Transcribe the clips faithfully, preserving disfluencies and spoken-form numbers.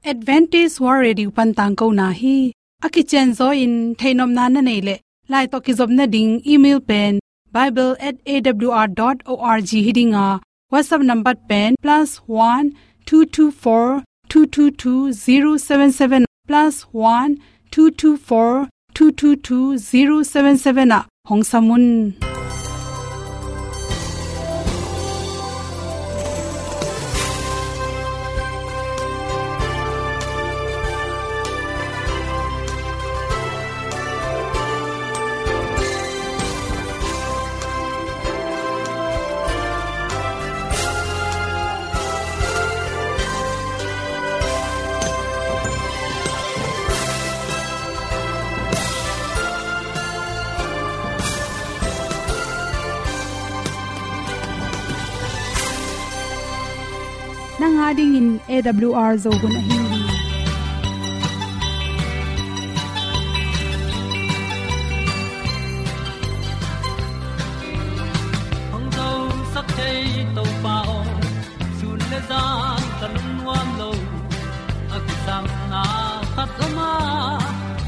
Adventist World Radio pan tangkona hi. A kicianzaw in theihnopna na neih leh, lai tawh kizopna ding email pen bible at A W R dot org hi ding a, WhatsApp number pen plus one two two four two two two zero seven seven, plus one two two four two two two zero seven seven ah hong sam un. Nang a dingin A W R Zo hun ahi hi. Hong zosak thei Topa aw, sun le zan ka lungnuam lo. A kisapna khat om a,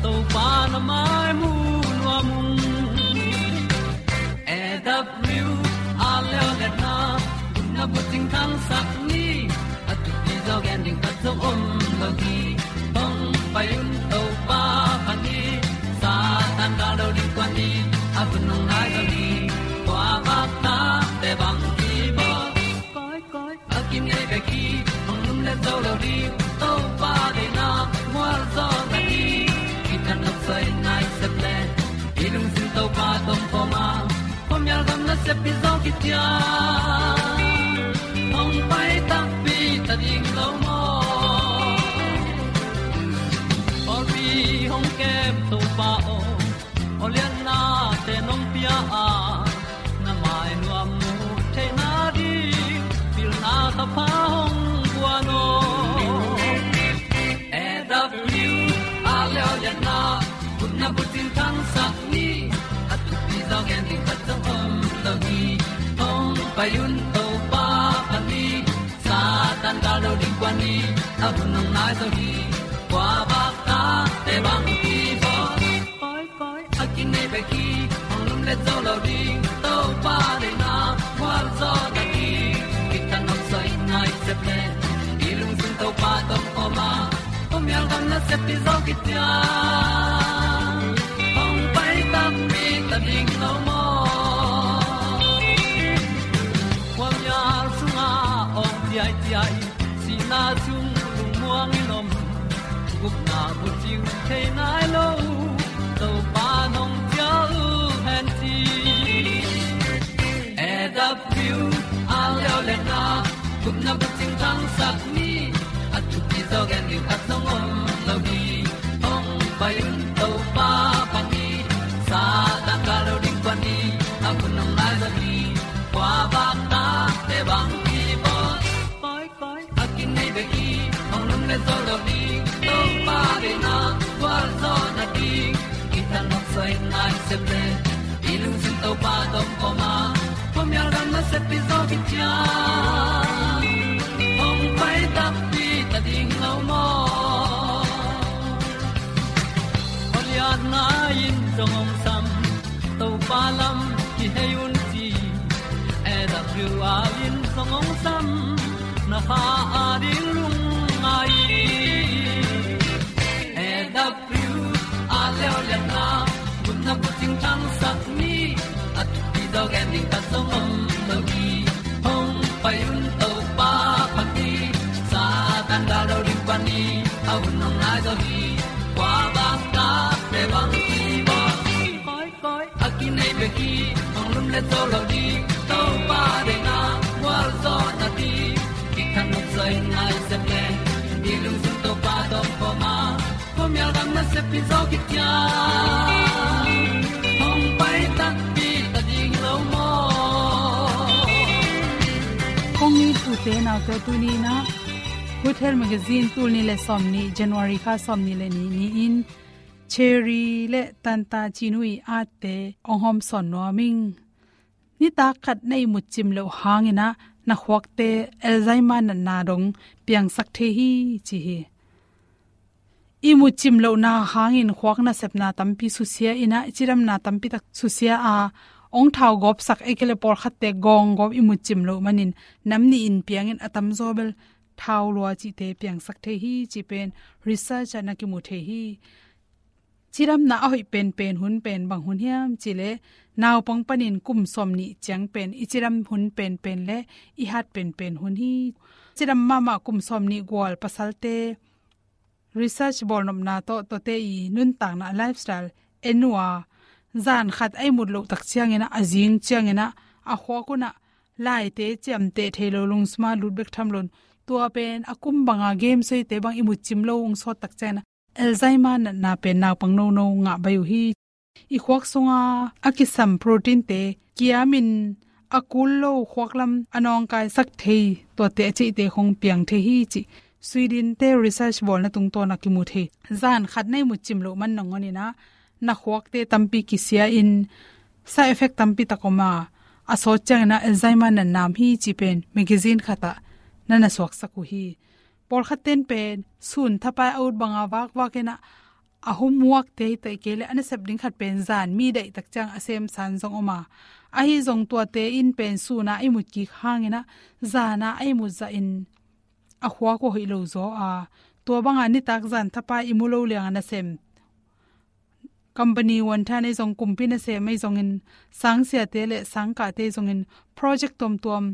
Topa na mai mu nuam ung. A W R leo le na, na bucing thangsak ni, a thupi zaw gen ding khat zong om lo hi. Hong pai un Topa pha ni, Satan gal lo ding kua ni, a hun hong nai lo ni, kua bak ta te bang ki bawl. Koi, koi, a kinei bek hi, hong lum le zo lo ding, Topa deihna mual zaw na hi. Kitang nok soi nai sep le, i lungsim Topa tawh kawm a, khuamial gam nasep pi zaw kician, hong pai takpi ta ding lo maw. Pawlpi hong kem Topa aw, aw liannate nong pia a, na mai nuam mu theihna ding, pilna thapha hong guan aw. A W R leo le na, kutna bucing thangsak ni, a thupi zaw gen ding khat zong om lo hi. Hong pai un Topa pha ni, Satan gal lo ding kua ni, a hun hong nai zo hi. Kua bak ta te bang ki bawl. Koi, koi, a kinei bek hi, hong lum le zo lo ding, Topa deihna mual zaw na hi. Kitang nok soi nai sep le, i lungsim Topa tawh kawm a, khuamial gam nasep pi zaw kician, hong pai takpi ta ding lo maw. Khuamial sungah awng ciaiciai, sihna sung lungmuang in om, gupna bucing thei nai lo, Topa nong cial hen ci. A W R leo le na, gupna bucing thangsak ni, a thupi zaw gen ding khat zong om lo hi. Hong pai un Topa pha ni, Satan gal lo ding kua ni, a hun hong nai zo hi. Kua bak ta te bang ki bawl. Koi, koi, a kinei bek hi, hong lum le zo lo ding, Topa deihna mual zaw na ding. Kitang nok soi nai sep le, i lungsim Topa tawh kawm a, khuamial gam nasep pi zaw kician, hong pai takpi ta ding lo maw. Aw lianna in zong hong sam, Topa lam kihei un ci. A W R in zong hong sam, na kha a ding lungngai. A W R leo le na, gupna bucing thangsak ni, a thupi zaw gen ding khat zong om lo hi. Hong pai un Topa pha ni, Satan gal lo ding kua ni, a hun hong nai zo hi. Kua bak ta te bang ki bawl. Koi, koi, a kinei bek hi, hong lum le zo lo ding, Topa deihna mual zaw na ding. Kitang nok soi nai sep le, i lungsim Topa tawh kawm a, khuamial gam nasep pi zaw kician, hong pai takpi ta ding lo maw. Kong it ute naute, tuni in ah Good Health Magazine tul nih le sawmnih, January kha sawmnih le nih ni-in Cherry le Tanta Cinu ii atte hong hawmsawn nuam ing. Nitak khat na ihmut cim loh hangin ah na khuakte Alzheimer natna dong piangsak thei hi ci hi. imut cim lohna hangin khuak nasepna tampi susia in ah, i cidamna tampi tak susia a, ong thau gawpsak, ei kei le pawlkhatte gawng gawp imut cim loh manin nam nih in piangin a tamzaw bel thau lua cihte piangsak thei hi, ci pen research ah na kimu thei hi. Cidamna a hoih penpen hun pen bang hun hiam cih leh, naupang panin kum sawm nih ciang pen i cidam hun penpen le i hat penpen hun hi. Cidam mahmah kum sawm nih gual pasalte research bawlnopna tawh, tuate i nuntakna, lifestyle en uh a, zan khat a imut loh tak ciangin ah, a zing ciangin ah, a khuak un ah laite ciamteh thei lo, lungsum ah lut bek tham loin, tua pen a kum banga game sawite bang imut cim lo ung sawt tak ciangin ah, Alzheimer natna pen naupang nono ngah baih uh hi. I khuak sunga a kisam proteinte kiamin a kul lo, khuak lam a nawngkaisak thei, tuate a ceihte khong piang thei hi, ci Sweden te research bawlna tungtawn a kimu thei. Zan khat na imut cim loh man nangawn in ah, na khuakte tampi kisia in, side effect tampi tak om a, a sawt ciangin ah Alzheimer natna om hi, ci pen magazine khat ah na na suaksak uh hi. Pawlkhat ten pen sun thapai a ut banga vakvak in ah, a homework te hi, ei kei le a nasep ding khat pen zan mi daih tak ciang a sem san zong om a, ahi zong tuate in pen sun a a imut kik hangin ah, zan a a imut zahin a khuak uh hoih lo zaw a, tua banga nitak zan thapai i mu lo liang a nasem, company wanthan ei zong, kumpi nasem ei zongin, sangsiate le sangkahte ei zongin, project tuamtuam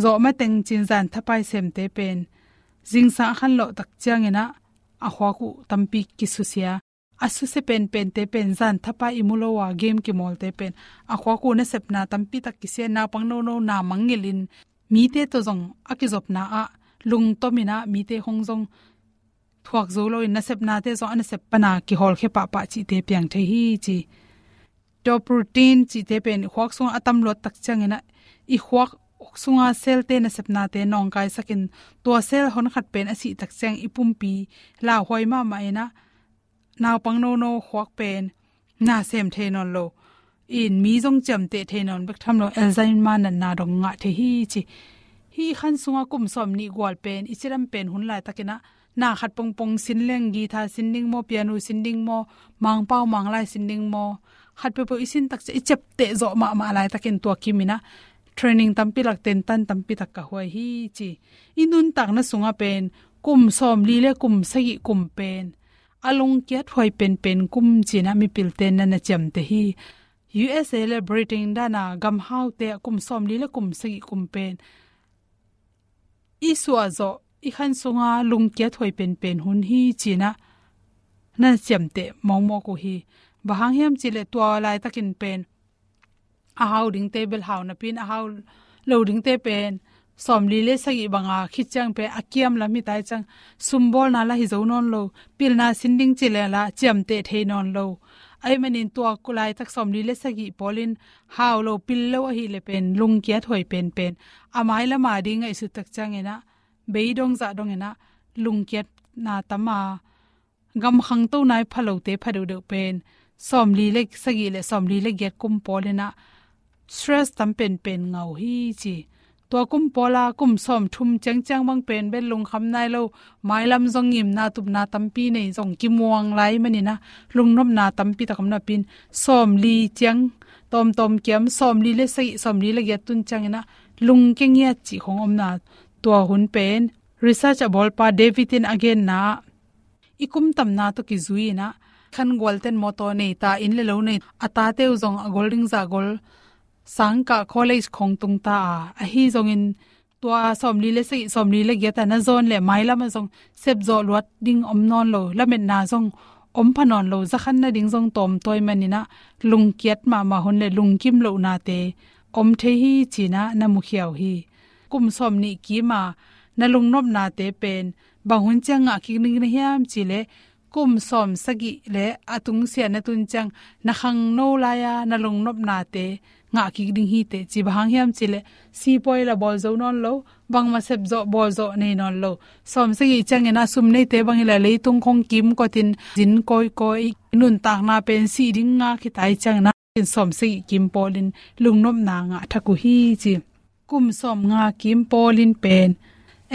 zawh mateng cin zan thapai semte pen zingsang a khanlawh tak ciangin ah, a khuak uh tampi kisusia. A susia penpente pen zan thapai i mu lo a game kimawlte pen a khuak uh nasepna tampi tak kisia, naupang nono na mangngilhin, mite tawh zong a kizopna ah lungtom in ah, mite khong zong thuak zo loin, nasepnate zong a nasep pana kihawlkhia pahpah cihte piang thei hi, ci. Tua protein cihte pen i khuak sungah a tam luat tak ciangin ah, i khuak sunga cell-te nasepnate nawngkaisakin, tua cell honkhat pen a sih tak ciang i pumpi lauhuai mahmah in ah, naupang nono khuak pen na sem thei nawn lo, in mi zong ciamteh thei nawn bek tham lo, Alzheimer natna dong ngah thei hi, ci. Hih khan sunga kum sawm nih gual pen i cidam pen hun laitakin ah, na khat pongpong sin leng, guitar sin ding maw, piano sin ding maw, Mangpau Manglai sin ding maw, khat peuhpeuh i sin tak ciang i ciapteh zawh mahmah laitakin, tua kimin ah training tampi lak, tentan tampi tak ka huai hi, ci. I nuntakna sungah pen kum sawmli le kum sagih kum pen a lungkiat huai penpen kum ci-in ah mipilte'n na na ciamteh hi. U S A le Britain dan a gamhaute ah kum sawmli le kum sagih kum pen i suah zawh, i khan sunga lungkiat huai penpen hun hi ci-in ah na na ciamteh mawkmawk uh hi. Bang hang hiam cih leh, tua laitakin pen a hau dingte bel hau napi-in, a hau lo dingte pen sawmli le sagih banga khit ciang pen a kiam lam hi tai ciang, sumbawlna lah hi zo nawn lo, pilna sin ding ci leh lah ciamteh thei nawn lo. Ahih manin tua laitak sawmli le sagih pawlin hau lo, pil lo ahih leh pen lungkiat huai penpen, a mailam a ding ngaihsut tak ciangin ah, beidong zahdong in ah lungkiatna tam a, gam khangto nai pha lote pha deuhdeuh pen sawmli le sagih le sawmli le giat kum pawlin ah stress tam penpen ngah uh hi, ci. Tua kum pawla kum sawmthum ciangciang bang pen bel lungkham nai lo, mailam zong ngimna tupna tampi nei, zong kimuang lai manin ah lungnopna tampi tak om napi-in, sawmli ciang tawmtawm kiam, sawmli le sagih, sawmli le giat tun ciangin ah lungkia ngiat cih khong omna, tua hun pen research a bawlpa David in a genna ah, i kum tamna tawh kizui in ah, khan gualten mawtaw nei ta, inn le lo nei, a tate uh zong a gol ding zah gol, sangkah college khong tung ta a, ahi zongin tua sawmli le sagih, sawmli le giat a na zawn leh mailam ah zong sepzawh luat ding om nawn lo, lametna zong om pha nawn lo, za khan nading zong tawmtawi manin ah lungkiat mahmah hun le lungkim lohnate om thei hi ci-in ah na mukhia uh hi. Kum sawmnih kim a na lungnopnate pen bang hun ciang ngah kik ding na hiam cih leh, kum sawmsagih le a tungsiah na tun ciang na khangno lai-a na lungnopnate ngah kik ding hi teh, ci. Bang hang hiam cih leh, sipuai lah bawl zo nawn lo, bangmah sepzawh bawlzawh nei nawn lo. Sawmsagih ciangin ah sum neite bang hi leh leitung khong kimkotin zin kawikawi, nuntakna pen sih ding ngak hi tai ciangin ah, sawmsagih kim pawlin lungnopna ngah thak uh hi, ci. Kum sawmnga kim pawlin pen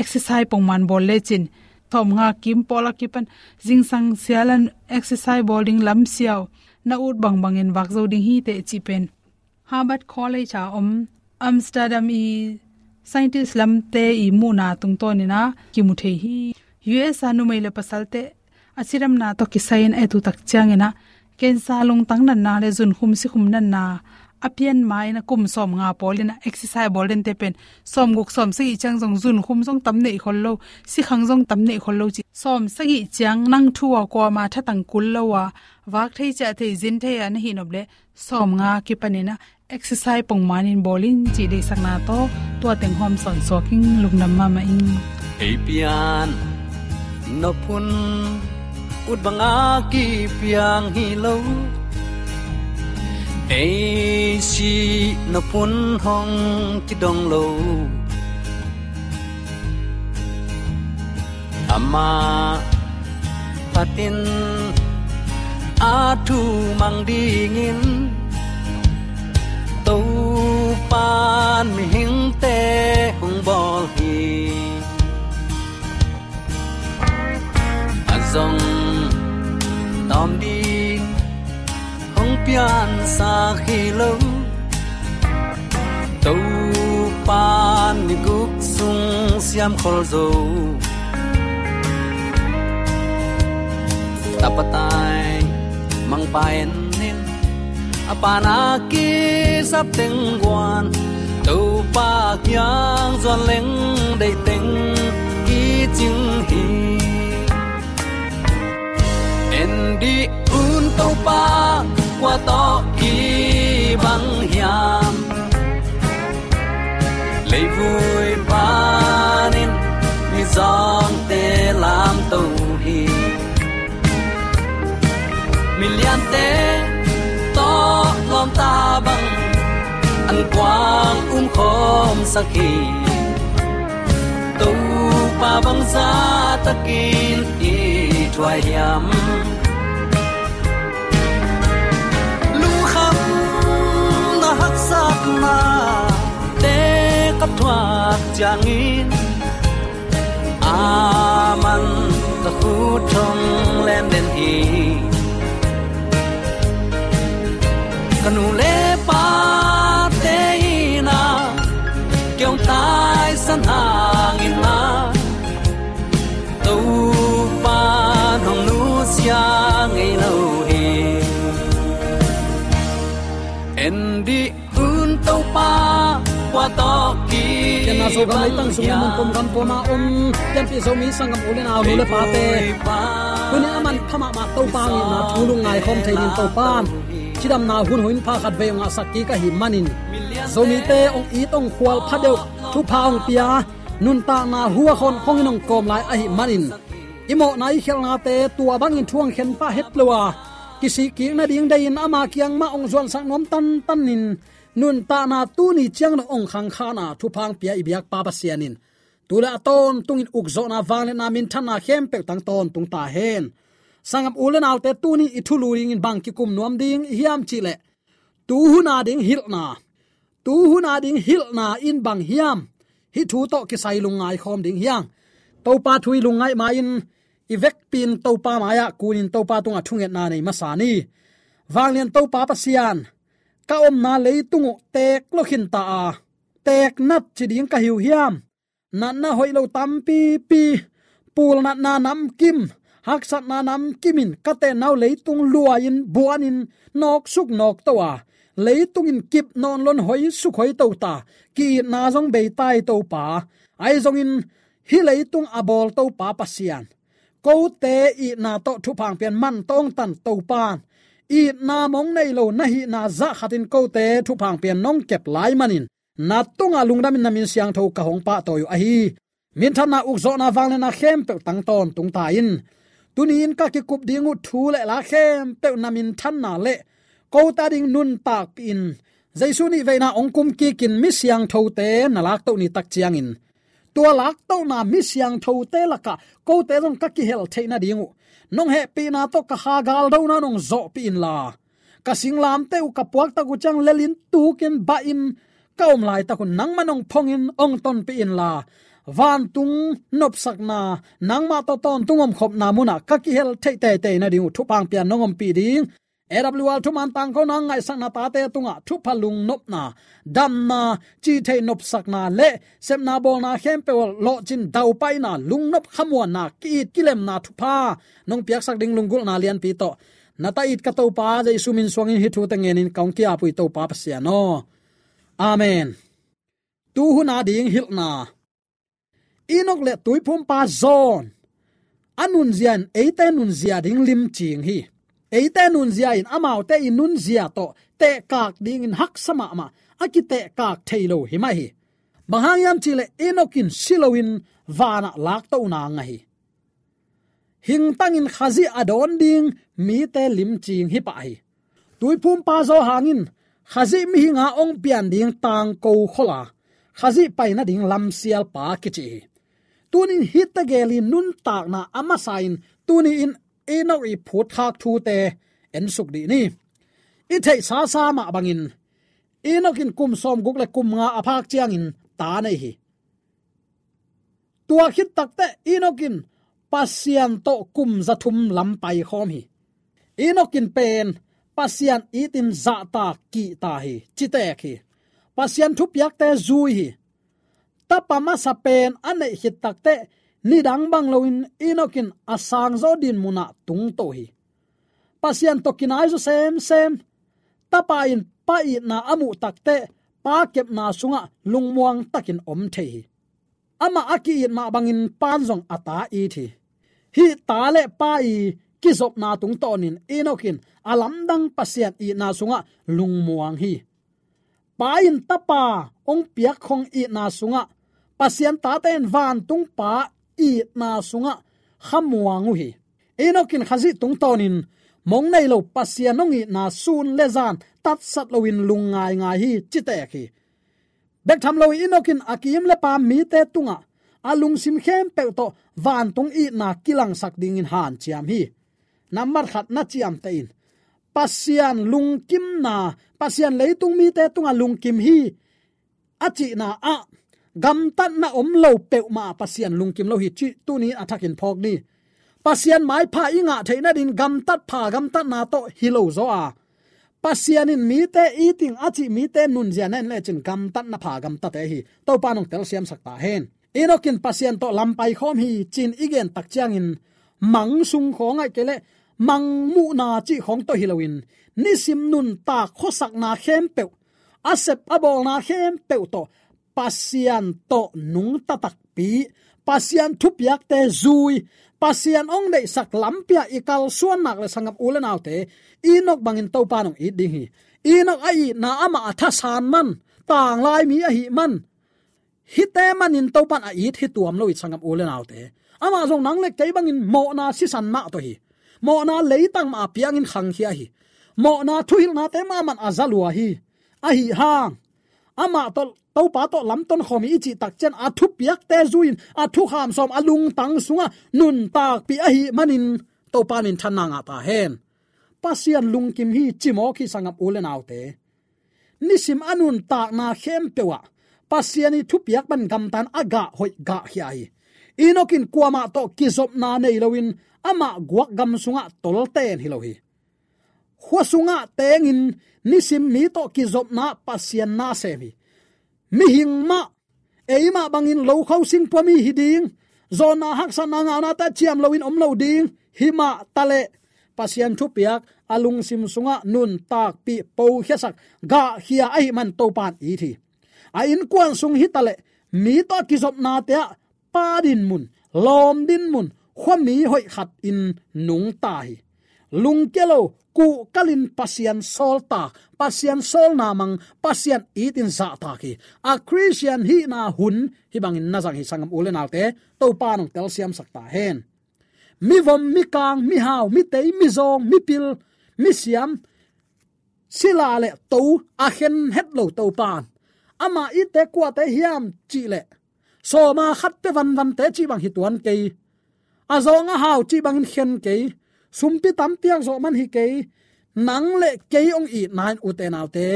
exercise pongman bawl lecin sawmnga kim pawl a kipan zingsang sialan exercise bawl ding lamsiau na ut bangbangin vak zo ding hi teh cih pen Harvard College a om Amsterdam i scientist lamte i muhna tungtawnin a kimu thei hi. U S a numei le pasalte a cidamna tawh kisai-in a et uh tak ciangin a cancer, lungtang natna le zunkhum sikhum natna a pian ma-in a kum sawmnga pawlin a exercise bawl dente pen sawmguk sawmsagih ciang zong zunkhum zong tam neih khol lo, sikhang zong tam neih khol lo ci. Sawmsagih ciang nang thu a kuama thatang kul lo a vak thei ciah thei zin thei a na hih nop le sawmnga kipanin a exercise pongmanin bawlin cih deihsakna tawh tua teng hawm sawnsuak ing. Lungdam mahmah ing. Ei pian nop hun ut banga kipiang hi lo. Ei si nop hun hong kidong lo. Amah phatin a thu mang dingin Topan mihingte hong bawl hi. A zong tawm ding hong piansak hi lo. Topan ni guk sung siam khol zo. Tapa tai mangpa en in a pana kisap teng guan Topa kiang zuan leng deih teng kicing hi. En dih un Topa kua tawh kibang hiam? Leivui panin mizawngte lamto hi. Miliante tawh lawmta bang an kuang umkhawmsak hi. Topa bangzah takin i thuai hiam? Lungkhamna haksatna te ka thuak ciangin aman ka khut thong lemden hi. Ka nu le pate in a kiong taisan hangin a Topa hong nusia ngei lo hi. En dih un Topa kua tawh kibang hiam? Ken na Zogam leitang sungin mun pom gam poma om pianpih Zomi sanggam u le nau, nu le pate, tuni a man pha mahmah Topa ngihna thu lungngai khawm thei dingin Topan cidamna hun hoih pha khat vei hong ngahsak kik ahih manin Zomite hong it hong khual pha deuh thupha hong pia nuntakna huakhon khongin hong kawm lai ahih manin i mawhna i khialhnate tua bangin thu hong khen pah het lo a kisih kik nading deihin ama kiang mah hong zuansak nuam tantanin nuntakna tuni ciang dong hong khangkhana thupha hong pia i biakpa Pasian in tu le a tawntungin ukzawhna, vangliatna, minthanna khempeuh tang tawntung ta hen. Sanggam u le naute, tuni i thulu dingin bang kikum nuam ding i hiam cih leh tuhuna ding hilhna, tuhuna ding hilhna in bang hiam? Hih thu tawh kisai lungngai khawm ding hi hang. Topa thu i lungngaih ma-in i vekpi-in Topa mai-ah kunin Topa tungah thungetna nei masa ni. Vanglian Topa Pasian, ka omna leitung uh teek lo khinta a, teek nat ci ding ka hi uh hiam? Natna hoih lo tampipi, pul natna namkim, haksatna namkim in ka tenna uh leitung luai-in buanin nawksuk nawkto a, leitung in kip nawn loin hoisuk hoito ta, ki-itna zong bei ta hi Topa. Ahi zongin hih leitung a bawl Topa Pasian, kote itna tawh thupha hong pian man tawh hong tan Topa, itna mong nei lo na hihna zah khatin kote thupha hong pian nong kep lai manin na tungah lungdamin na min siangtho ka hong pahtawi uh ahi. Minthanna, ukzawhna, vangliatna khempeuh tang tawntung ta in. Tuni-in ka kikup ding uh thu le la khempeuh na minthanna le kote ading nuntakpih in Jesu nih veina hong kumkikin mi siangthote na laktoh ni tak ciangin tua laktohna mi siangthote lakah kote zong ka kihel theih nading uh nong hehpihna tawh ka kha galdona nong zawhpih inla, ka singlamteh uh ka puaktak uh ciang lelin tukin bahin ka om laitak uh nangmah nong phongin hong tonpih inla, vantung nopsakna, nangmah tawh tawntung omkhopna munah ka kihel theih teitei nading uh thupha hong pia in hong ompih ding. A W R thuman tangkona ngaihsakna tate tungah thupha lungnopna, damna, cihtheih nopsakna le sepna bawlna khempeuh lawhcin daupaina, lungnop khamuanna, ki-it kilemna thupha nong piaksak ding lunggulhna lianpi tawh na ta it ka Topa Jesu min suangin hih thute ngenin ka hong ki-ap uh hi Topa Pasian aw. Amen. Tuhuna ding hilhna. Enok le tuiphumpa John a nunzia in eite nunzia ding limcing hi. Eite nunzia in amaute i nunzia tawh tehkak dingin haksa mahmah a kitehkak thei lo hi mah hi. Bang hang hiam cihleh Enok in si loin vanah laktohna ngah hi. Hingtangin Khazih a dawn ding mite limcing hi pah hi. Tuiphumpa Johan in Khazih mihinga hong pian ding tangko khol a, Khazih pai nading lamsialpa kici hi. Tunin hihte gel i nuntakna a masa in tuni in Enok i phutkhak thute ensuk dih ni. I theihsa sa mah bangin Enok in kum sawmguk le kum nga a phak ciangin ta nei hi. Tua khit takteh Enok in Pasian tawh kum zathum lam paikhawm hi. Enok in pen Pasian itin zahtak kihta hi, citek hi. Pasian thupiakte zui hi. Tapa masa pen a neih khit takteh nidang bang loin Enok in a sangzaw din munah tungto hi. Pasian tawh kinai zaw semsem. Tapa in Pa itna a muh takteh Pa kepna sungah lungmuang takin om thei hi. Amah a ki-it mah bangin Pa'n zong a ta it hi. Hih ta le Pa i kizopna tungtawnin Enok in a lamdang Pasian itna sungah lungmuang hi. Pa in Tapa hong piakkhong itna sungah Pasian tate in vantung Pa itna sungah khamuang uh hi. Enok in Khazih tungtawnin mong nei lo Pasian hong itna sun le zan tatsat loin lung ngaingai hi, citek hi. Bek tham lo Enok in a kiim le paam mite tungah a lungsim khempeuh tawh vantung itna kilangsak dingin hanciam hi. Nambat khat na ciamteh in Pasian lungkimna, Pasian leitung mite tungah lungkim hi a cihna ah gamtatna om lo peuhmah Pasian lungkim lo hi cih tuni a thakin phawk ni. Pasian maipha i ngah theih nadin gamtat pha gamtatna tawh hi lo zaw a, Pasian in mite iting a cih mite nunzia na en lecin gamtatna pha gamtate hi. Topa nong telsiamsak ta hen. Enok in Pasian tawh lam paikhawm hi cin i gen tak ciangin mang sung khawng aih kei leh mang muhna cih khawng tawh hi loin nisim nuntak khuasakna khempeuh, a sep a bawlna khempeuh tawh Pasian tawh nungta takpi, Pasian thupiakte zui, Pasian hong deihsak lampi ah i kalsuan nak le sangap u le naute, Enok bangin Topa nong it ding hi. Enok a itna amah a thasan man, tanglai mi ahih man, hihte manin Topan a it hi tuam lo hi sangap u le naute. Amah zong nang le kei bangin mawhna sisan mah tawh hi. Mawhna leitang mah a piangin khangkhia hi. Mawhna thuhilhnate mah man a za lua hi. Ahi hang amah tawh, Topa tawh lamton khawm hi i cih tak ciang a thupiakte zui-in a thukham sawm a lungtang sungah nuntakpih ahih manin Topa min thanna ngah ta hen. Pasian lungkim hi cimawk hi sangap u le naute. Nisim a nuntakna khempeuh ah Pasian i thupiak bang gamtan a gah hoih gah khia hi. Enok in kuamah tawh kizopna nei loin amah guak gam sungah tolten hi lo hi. Khua sungah tengin nisim mi tawh kizopna Pasian na sem hi. Mihing mah, eimah bangin lokho singpua mi hi ding, zawnna haksatna ngaunate ciam loin om lo ding, himah taleh Pasian thupiak a lungsim sungah nuntakpih, pokhiasak, gahkhia ahih man Topan it hi. A innkuan sung hi taleh mi tawh a kizopnate ah pa dinmun, lawm dinmun, khuami hoih khat in nungta hi. Lungkia lo, kuhkalin Pasian sawltak, Pasian sawlna mang, Pasian itin zahtak hi. A Khristian hihna hun hih bangin na zang hi sangam u le naute, Topa nong telsiamsak ta hen. Mivom, mikang, mihau, mitei, mizawng, mipil, misiam, sila le to a khen het lo Topan, amah itte kuate hiam cihleh sawma khat pe vanvante cih bang hi tuan kei. A zawng a hau cih bangin khen kei. Sumpi tampiak zawh man hi kei. Nang le kei hong itna in ute naute,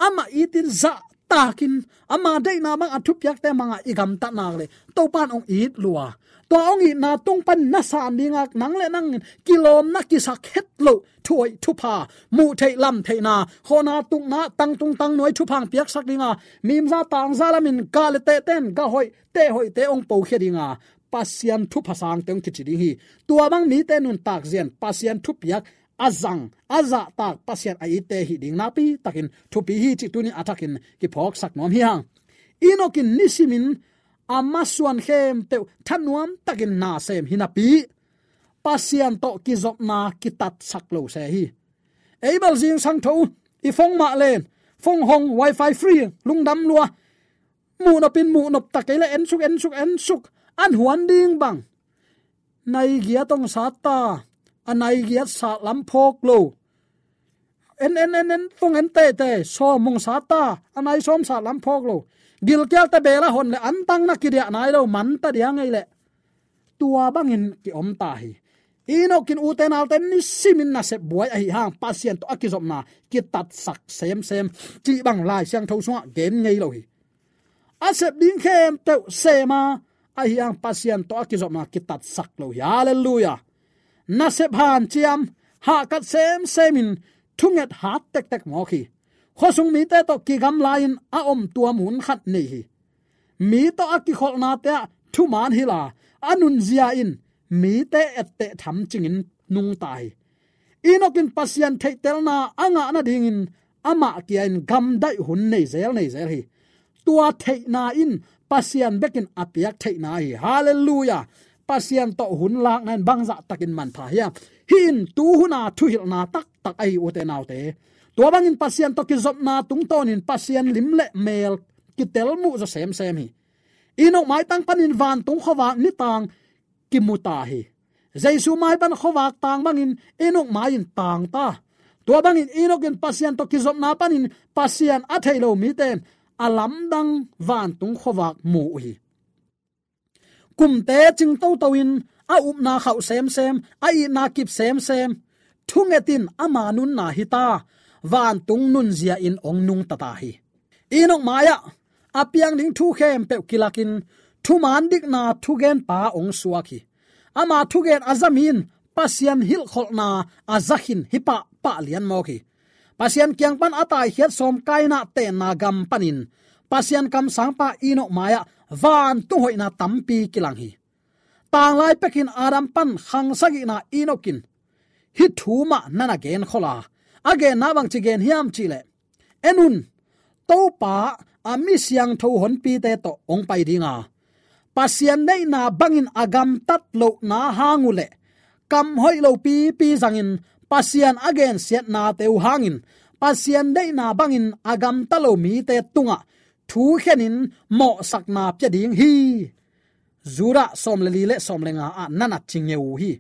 amah itin zah takin ama deihna bang a thupiakte mangah i gamtat nak le Topan hong it lua. Tua hong itna tung pan na san dingak nang le nang in kilawmna kisak het loh thuhoih thupha, muh theih lam theihna, khawhna tukna, tangtung tangnuai thupha hong piaksak dinga, mimza tangza lamin gah le tehte in gah hoih teh hoihte hong pokhia dinga Pasian thupha sangte hong kici ding hi. Tua bang mite nuntak zian Pasian thupiak a zang a zahtak Pasian a itte hi ding nakpi takin thupi hi cih tunin a thakin kiphawksak nuam hi hang. Enoch in nisimin a masuan khempeuh thanuam takin na sem hi napi Pasian tawh kizopna kitatsak lo se hi. Ei bel zingsang tho i phone mah len, phone hong, wifi free, lungdam lua, muhnop in muhnop ta kei le ensuk ensuk ensuk an huan ding bang. Nai giat hong sat ta, a nai giat sat lam phawk lo. En en en en phone en teitei, sawm hong sat ta, a nai sawm sat lam phawk lo. Gilkialte bel a hon le antang na kidiah nai lo, man ta dia ngei leh. Tua bangin kiom ta hi. Enoch in ute naute nisimin nasep buai ahi hang Pasian tawh a kizopna kitatsak semsem cih bang Lai Siangtho sungah gen ngei lo hi. A sep ding khempeuh sema ahi hang Pasian tawh a kizopna kitatsak lo hi. Halleluiah. Nasep hanciam, hahkat semsemin thunget hat tektek mawk hi. Khuasung mite tawh kigamlai-in a om tua mun khat nei hi. Mi tawh a kikholhnate ah thuman hila a nunzia in mite etteh thamcingin nungta hi. Enoch in Pasian theihtelna a ngah nadingin amah kia-in gamdaih hun nei zel nei zel hi. Tua theihna in Pasian bekin a piak theihna hi. Halleluiah. Pasian tawh hun lakna in bangzah takin manpha hiam? Hih in tuhuna thuhilhna taktak ahi ute naute. Tua bangin Pasian tawh kizopna tungtawnin Pasian lim le mel kitel muh zaw semsem hi. Enoch maitang panin vantung khuavak nitang kimu ta hi. Jesu mai pan khuavak tang bangin Enoch mai-in tang ta. Tua bangin Enoch in Pasian tawh kizopna panin Pasian a thei lo mite in a lamdang vantung khuavak mu uh hi. Kumte cing toto in a upna khauh semsem, a itna kip semsem, thunget in ama nunna hi ta, vantung nunzia in hong nungta ta hi. Enoch mai-ah a piang ding thu khempeuh kilakin thuman dikna thugenpa hong suak hi. Ama thugen a za mi in Pasian hilhkholhna a za khin hi pahpah lian mawk hi. Pasian kiang pan a taikhiat sawm Kaina tenna gam panin Pasian kamsangpa Enoch mai-ah vantung hoihna tampi kilang hi. Tanglai pekin Adam pan khang sagihna Enoch in hih thu mah na na gen khol a, a genna bangci gen hiam cihleh, en un, Topa a mi siangtho honpite tawh hong pai dinga, Pasian neihna bangin a gamtat lohna hang uh leh kam hoih lopipi zangin Pasian a gensiatnate uh hangin Pasian neihna bangin a gamta lo mite tungah thukhenin mawhsakna pia ding hi. Judah sawm le li le sawm le nga ah na na ci ngeu uh hi.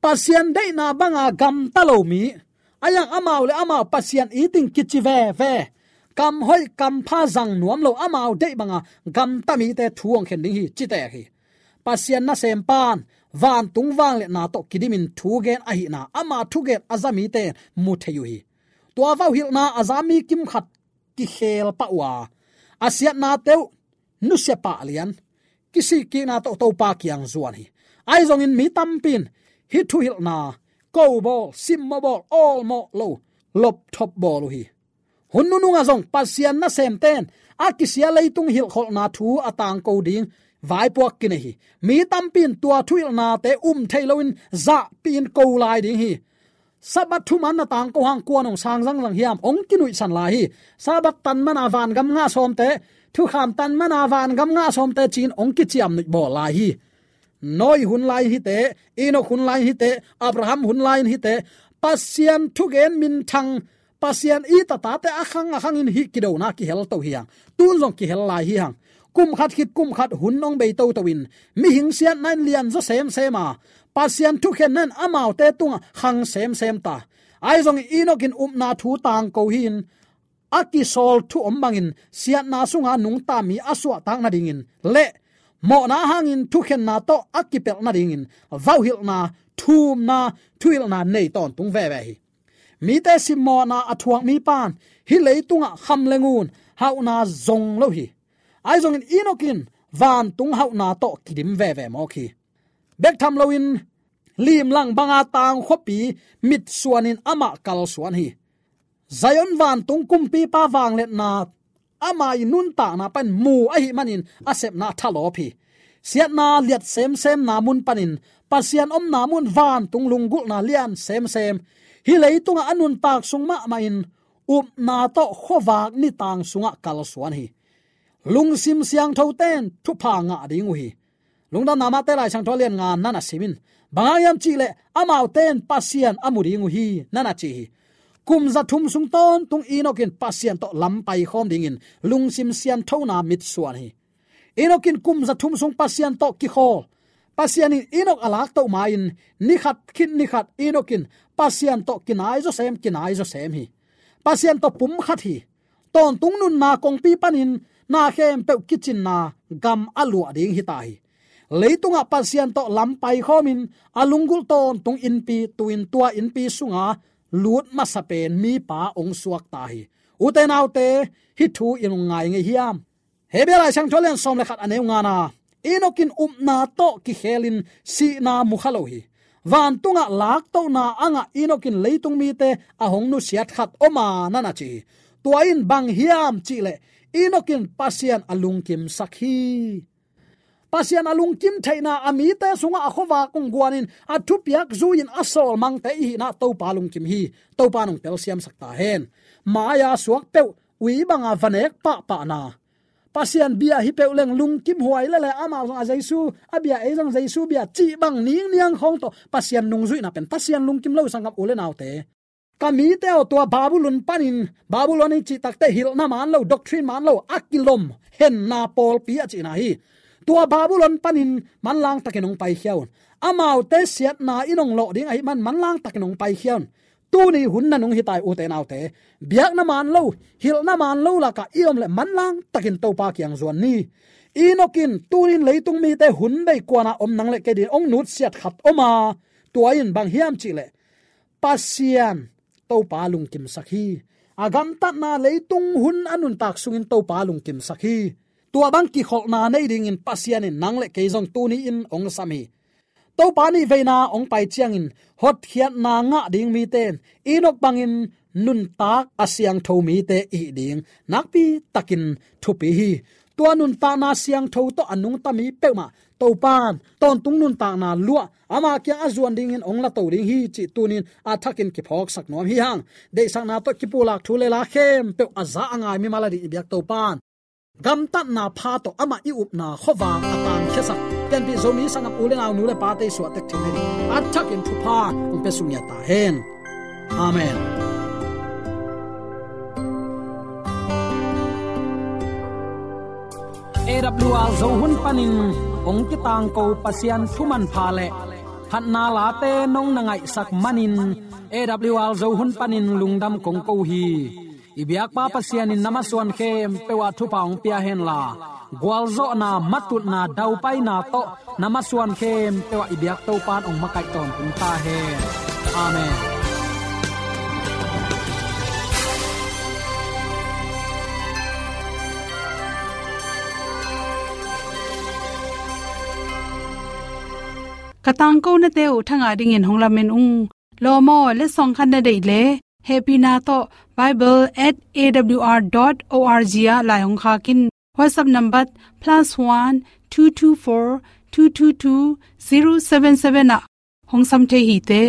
Pasian deihna banga gamta lo mi, a yang amau le amau Pasian itin kici veve, kam hoih kam pha zang nuam lo amau deih banga gamta mite thu hong khen ding hi, ci tek hi. Pasian nasempan vantung vangliatna tawh kidimin thugen ahihna, ama thugen a za mite mu thei uh hi. Tua vauhilhna a za mi kimkhat kikhel pah uh a, a siatnate uh nusia pah lian, kisikkikna tawh Topa kiang zuan hi. Ahi zongin mi tampi in hih thuhilhna ko bawl, simmawh bawl, awlmawh lo, lopthop bawl uh hi. Hun nunungah zong Pasian nasemte in a kisia leitung hilhkholhna thu a tangko ding vaipuak kinei hi. Mi tampi in tua thuhilhnate um thei loin zahpihin ko lai ding hi. Sabbath thuman na tangko hang kuan hong sang zangzang hiam, hong kinuihsan lai hi. Sabbath tan mana vangam ngah sawmte, thukham tan mana vangam ngah sawmte ci-in hong kiciamnuih bawl lai hi. Noah hun lai in hihte, Enoch hun lai in hihte, Abraham hun lai in hihte, Pasian thugen minthang, Pasian it a tate a khang a khangin hih kidona kihel to hi hang. Tun zong kihel lai hi hang. Kum khat khit kum khat hun hong bei toto in, mihing siatna in lianzaw semsem a, Pasian thukhenna in amaute tungah khang semsem ta. Ahi zongin Enoch in upna thu tangko hi-in, a kisawl thu om bangin siatna sunga nungta mi a suahtak nadingin le mawhna hangin thukhenna tawh a kipelh nadingin vauhilhna, thumna, thuhilhna nei tawntung veve hi. Mite simmawhna a thuak mipan hih leitungah kham le ngun, hauhna zong lo hi. Ahi zongin Enoch in vantung hauhna tawh kidim veve mawk hi. Bek tham loin limlang banga tang khuapi mitsuanin amah kalsuan hi. Zion vantung kumpipa vangliatna ama i nuntakna pan mu ahih manin a sepna thalawp hi. Siatna liat semsemna mun panin Pasian omna mun vantung lunggulhna lian semsem, hih leitungah a nuntak sung mahmahin upna tawh khuavak nitang sungah kalsuan hi. Lungsim siangthote in thupha ngah ding uh hi. Lungdamna Mate Lai Siangtho a lian nga na na sim in. Bang hang hiam cih leh amaute in Pasian a mu ding uh hi, na na ci hi. Kum za thum sung tawntung Enoch in Pasian tawh lam paikhawm dingin lungsim sianthona mitsuan hi. Enoch in kum za thum sung Pasian tawh kikhawl. Pasian in Enoch a laktoh ma-in ni khat khit ni khat Enoch in Pasian tawh kinai zawsem, kinai zawsem hi. Pasian tawh pumkhat hi. Tawntung nunna kongpi panin na khempeuh kicinna gam a luah ding hi ta hi. Leitungah Pasian tawh lam paikhawmin a lunggulh tawntung innpi, tu-in tua innpi sunga lut masa pen mipa hong suak ta hi. Ute naute, hih thu in hong ngai ngei hiam? Hebru Lai Siangtho a lian sawm le khat a neu ngana, Enoch in upna tawh kikhelin sihna mu kha lo hi. Vantungah laktohna a ngah Enoch in leitung mite a hong nusiat khat om a, na na ci hi. Tua in bang hiam cih leh Enoch in Pasian a lungkimsak hi. Pasian a lungkim theihna, a mite sungah a khuavak hong guanin a thupiak zui-in a sawlmangte i hihna Topa lungkim hi. Topa in hong telsiamsak ta hen. Mai-a suak peuh ui banga va nek pahpahna, Pasian bia hi peuh leng lungkim huai lele, amau zong a Jesu a bia, ei zong Jesu bia cih bang ningniang khawng tawh Pasian nungzuihna pen Pasian lungkim lo, sanggam u le naute. Ka mite aw, tua Babylon panin, Babylon i cih takteh hilhna man lo, doctrine man lo, a kilom henna pawlpi a cihna hi. Tua Babylon panin manlang takin hong paikhia un. Amaute siatna in hong lawh ding ahih man manlang takin hong paikhia un. Tuni hun nanung hi ta hi, ute naute. Biakna man lo, hilhna man lo lakah i om leh manlang takin Topa kiang zuan ni. Enoch in tunin leitung mite hun bei kuana om nang le kei dingin hong nutsiat khat om a, tua in bang hiam cih leh Pasian Topa lungkimsak hi. A gamtatna, leitung hun a nuntak sungin Topa lungkimsak hi. Tua bang kikholhna nei dingin Pasian in nang le kei zong tuni-in hong sam hi. Topa nih veina hong pai ciangin hotkhiatna ngah ding mite in Enoch bangin nuntak a siangtho mite i hih ding nakpi takin thupi hi. Tua nuntakna siangtho tawh a nungta mi peuhmah Topa in tawntung nuntakna luah, ama kiang a zuan dingin hong lato ding hi cih tunin a thakin kiphawksak nuam hi hang. Deihsakna tawh kipulak thu le la khempeuh a za a ngai mimal a ding i biak Topa in gamtatna pha tawh amah i upna khuavak a tangkhiasak, pianpih Zomi sanggam u le nau, nu le pate i suahtek theihna ding a thakin thupha hong pia suk ngiat ta hen. Amen. A W R Zo hun panin hong kitangko Pasian thu manpha le phatna late nong na ngaihsak manin A W R Zo hun panin lungdam kong ko hi. I biakpa Pasian in na masuan khempeuh ah thupha hong pia henla, gualzawhna, matutna, daupaina tawh na masuan khempeuh ah i biak Topa in hong makaih tawntung ta hen. Amen. Ka tangkonate uh thangah dingin hong lamen ung. Lawm aw, letsong khat na deih leh hehpihna tawh bible at A W R dot O R G ah lai hong khak in. WhatsApp number plus one two two four two two two zero seven seven ah hong sam thei hi te.